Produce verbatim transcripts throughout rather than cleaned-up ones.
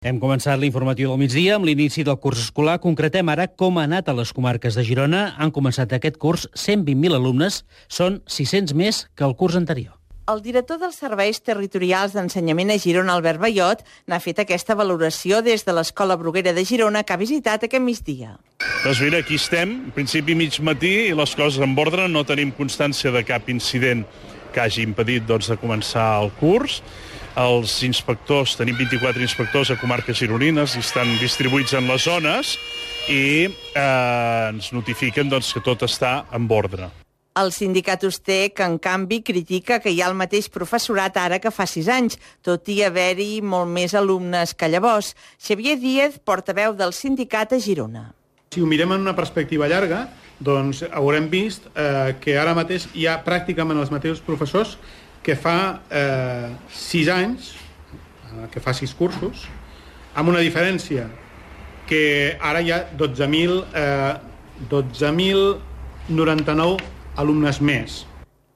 Hem començat l'informatiu del migdia amb l'inici del curs escolar. Concretem ara com ha anat a les comarques de Girona. Han començat aquest curs cent vint mil alumnes. Són sis-cents més que el curs anterior. El director dels Serveis Territorials d'Ensenyament a Girona, Albert Ballot, n'ha fet aquesta valoració des de l'Escola Bruguera de Girona, que ha visitat aquest migdia. Doncs mira, aquí estem, en principi mig matí, i les coses en ordre. No tenim constància de cap incident que hagi impedit doncs, de començar el curs. Els inspectors, tenim vint-i-quatre inspectors a comarques gironines i estan distribuïts en les zones i eh, ens notifiquen doncs, que tot està en ordre. El sindicat Ustek, en canvi, critica que hi ha el mateix professorat ara que fa sis anys, tot i haver-hi molt més alumnes que llavors. Xavier Díez, portaveu del sindicat a Girona. Si ho mirem en una perspectiva llarga, doncs haurem vist eh, que ara mateix hi ha pràcticament els mateixos professors que fa eh, sis anys, eh, que fa sis cursos, amb una diferència que ara hi ha dotze mil noranta-nou alumnes més.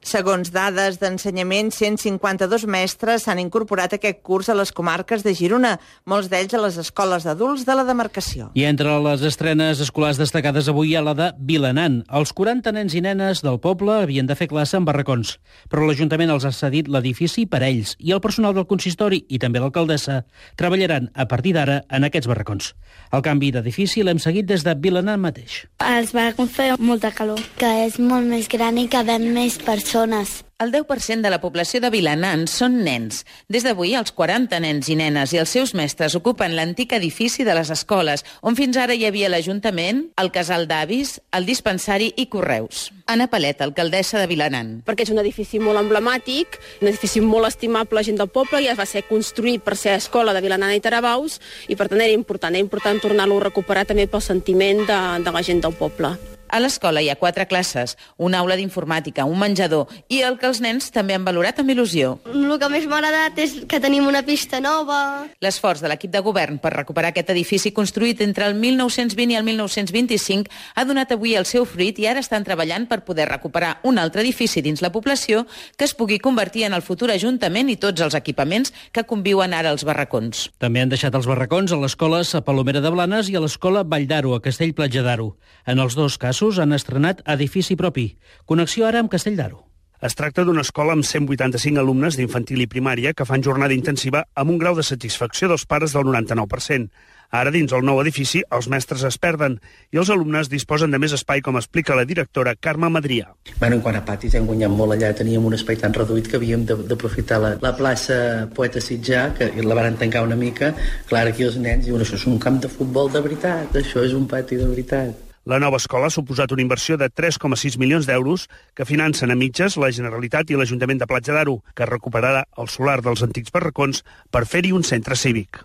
Segons dades d'ensenyament, cent cinquanta-dos mestres s'han incorporat aquest curs a les comarques de Girona, molts d'ells a les escoles d'adults de la demarcació. I entre les estrenes escolars destacades avui hi ha la de Vilanant. Els quaranta nens i nenes del poble havien de fer classe en barracons, però l'Ajuntament els ha cedit l'edifici per a ells i el personal del consistori i també l'alcaldessa treballaran a partir d'ara en aquests barracons. El canvi d'edifici l'hem seguit des de Vilanant mateix. Els barracons feien molta calor, que és molt més gran i que ven més persones. El deu per cent de la població de Vilanant són nens. Des d'avui, els quaranta nens i nenes i els seus mestres ocupen l'antic edifici de les escoles, on fins ara hi havia l'Ajuntament, el casal d'avis, el dispensari i correus. Anna Palet, alcaldessa de Vilanant. Perquè és un edifici molt emblemàtic, un edifici molt estimable a la gent del poble, ja va ser construït per ser escola de Vilanant i Tarabaus, i per tant era important, era important tornar-lo a recuperar també pel sentiment de, de la gent del poble. A l'escola hi ha quatre classes, una aula d'informàtica, un menjador i el que els nens també han valorat amb il·lusió. El que més m'ha agradat és que tenim una pista nova. L'esforç de l'equip de govern per recuperar aquest edifici construït entre el mil nou-cents vint i el mil nou-cents vint-i-cinc ha donat avui el seu fruit i ara estan treballant per poder recuperar un altre edifici dins la població que es pugui convertir en el futur Ajuntament i tots els equipaments que conviuen ara als barracons. També han deixat els barracons a l'escola a Palomera de Blanes i a l'escola Vall d'Aro, a Castell-Platja d'Aro. En els dos casos han estrenat edifici propi. Connexió ara amb Castell d'Aro. Es tracta d'una escola amb cent vuitanta-cinc alumnes d'infantil i primària que fan jornada intensiva amb un grau de satisfacció dels pares del noranta-nou per cent. Ara, dins el nou edifici, els mestres es perden i els alumnes disposen de més espai, com explica la directora Carme Madrià. Bueno, en quant a patis, hem guanyat molt allà. Teníem un espai tan reduït que havíem d'aprofitar la, la plaça Poeta Sitjà, que la van tancar una mica. Clar, aquí els nens diuen, això és un camp de futbol de veritat, això és un pati de veritat. La nova escola ha suposat una inversió de tres coma sis milions d'euros que financen a mitges la Generalitat i l'Ajuntament de Platja d'Aro, que recuperarà el solar dels antics barracons per fer-hi un centre cívic.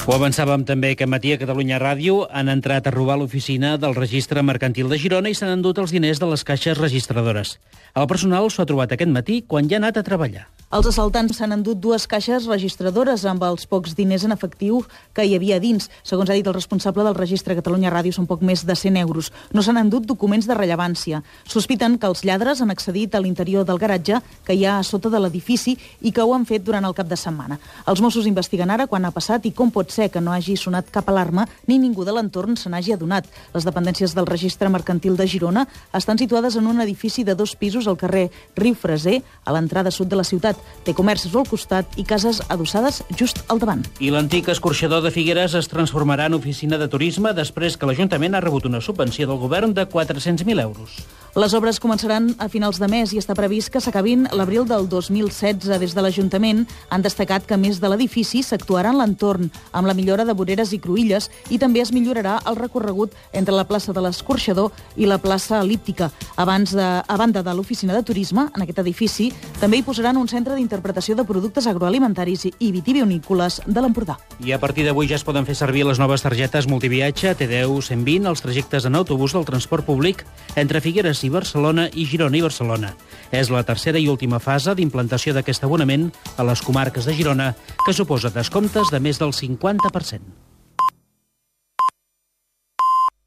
Ho avançàvem també aquest matí a Catalunya Ràdio. Han entrat a robar l'oficina del Registre Mercantil de Girona i s'han endut els diners de les caixes registradores. El personal s'ho ha trobat aquest matí quan ja ha anat a treballar. Els assaltants s'han endut dues caixes registradores amb els pocs diners en efectiu que hi havia dins. Segons ha dit el responsable del Registre Catalunya Ràdio, són poc més de cent euros. No s'han endut documents de rellevància. Sospiten que els lladres han accedit a l'interior del garatge que hi ha a sota de l'edifici i que ho han fet durant el cap de setmana. Els Mossos investiguen ara quan ha passat i com pot ser que no hagi sonat cap alarma ni ningú de l'entorn se n'hagi adonat. Les dependències del Registre Mercantil de Girona estan situades en un edifici de dos pisos al carrer Riu Freser, a l'entrada sud de la ciutat. Té comerços al costat i cases adossades just al davant. I l'antic escorxador de Figueres es transformarà en oficina de turisme després que l'Ajuntament ha rebut una subvenció del govern de quatre-cents mil euros. Les obres començaran a finals de mes i està previst que s'acabin l'abril del dos mil setze. Des de l'Ajuntament han destacat que, a més de l'edifici, s'actuarà en l'entorn, amb la millora de voreres i cruïlles, i també es millorarà el recorregut entre la plaça de l'Escorxador i la plaça El·líptica. Abans de, a banda de l'oficina de turisme, en aquest edifici, també hi posaran un centre d'interpretació de productes agroalimentaris i vitivinícoles de l'Empordà. I a partir d'avui ja es poden fer servir les noves targetes multiviatge T D U cent vint als trajectes en autobús del transport públic entre Figueres i Barcelona i Girona i Barcelona. És la tercera i última fase d'implantació d'aquest abonament a les comarques de Girona, que suposa descomptes de més del cinquanta per cent.